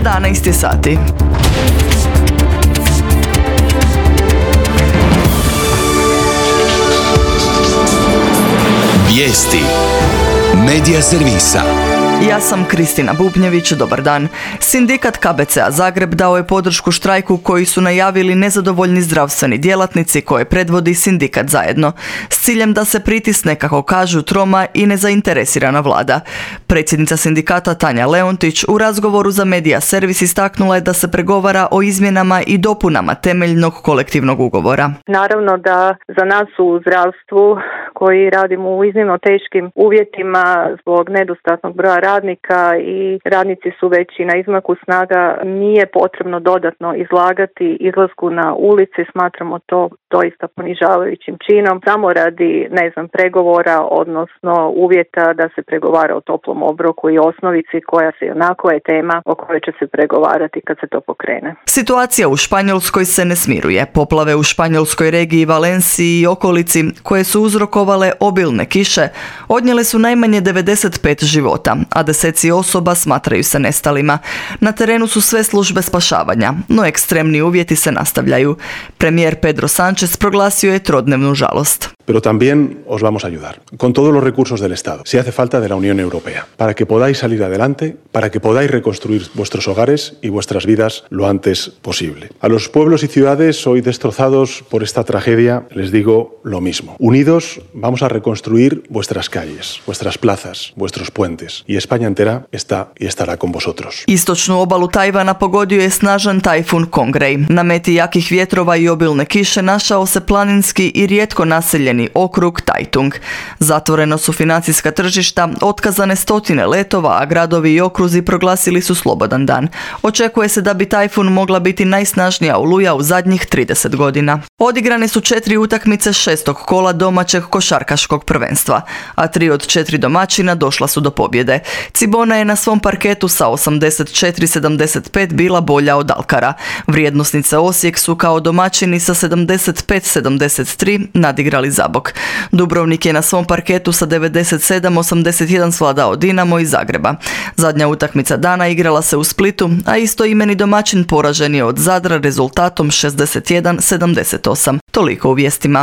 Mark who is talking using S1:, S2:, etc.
S1: 11 sati.
S2: Vijesti Medija servisa.
S1: Ja sam Kristina Bubnjević, dobar dan. Sindikat KBC-a Zagreb dao je podršku štrajku koji su najavili nezadovoljni zdravstveni djelatnici koje predvodi sindikat Zajedno, s ciljem da se pritisne, kako kažu, troma i nezainteresirana vlada. Predsjednica sindikata Tanja Leontić u razgovoru za Medija servis istaknula je da se pregovara o izmjenama i dopunama temeljnog kolektivnog ugovora.
S3: Naravno da za nas u zdravstvu koji radimo u iznimno teškim uvjetima zbog nedostatnog broja radnika i radnici su već i na izmaku snaga, nije potrebno dodatno izlagati izlasku na ulici. Smatramo to doista ponižavajućim činom, samo radi, pregovora, odnosno uvjeta da se pregovara o toplom obroku i osnovici koja se onako je tema o kojoj će se pregovarati kad se to pokrene.
S1: Situacija u Španjolskoj se ne smiruje. Poplave u španjolskoj regiji Valenciji i okolici, koje su uzrokovale obilne kiše, odnijele su najmanje 95 života, a deseci osoba smatraju se nestalima. Na terenu su sve službe spašavanja, no ekstremni uvjeti se nastavljaju. Premijer Pedro Sánchez proglasio je trodnevnu žalost.
S4: Pero también os vamos a ayudar, con todos los recursos del Estado, si hace falta de la Unión Europea, para que podáis salir adelante, para que podáis reconstruir vuestros hogares y vuestras vidas lo antes posible. A los pueblos y ciudades hoy destrozados por esta tragedia les digo lo mismo. Unidos vamos a reconstruir vuestras calles, vuestras plazas, vuestros puentes, y España entera está y estará con vosotros.
S1: Istočnu obalu Tajvana pogodio je snažan tajfun Kongrej. Na meti jakih vjetrova i obilne kiše našao se planinski i rijetko naseljeni okrug Taitung. Zatvoreno su financijska tržišta, otkazane stotine letova, a gradovi i okruzi proglasili su slobodan dan. Očekuje se da bi tajfun mogla biti najsnažnija oluja u zadnjih 30 godina. Odigrane su 4 utakmice 6. kola domaćeg košarkaškog prvenstva, a 3 od 4 domaćina došla su do pobjede. Cibona je na svom parketu sa 84-75 bila bolja od Alkara. Vrijednosnice Osijek su kao domaćini sa 75-73 nadigrali Zabok. Dubrovnik je na svom parketu sa 97-81 svladao Dinamo iz Zagreba. Zadnja utakmica dana igrala se u Splitu, a istoimeni domaćin poražen je od Zadra rezultatom 61-78. Toliko u vijestima.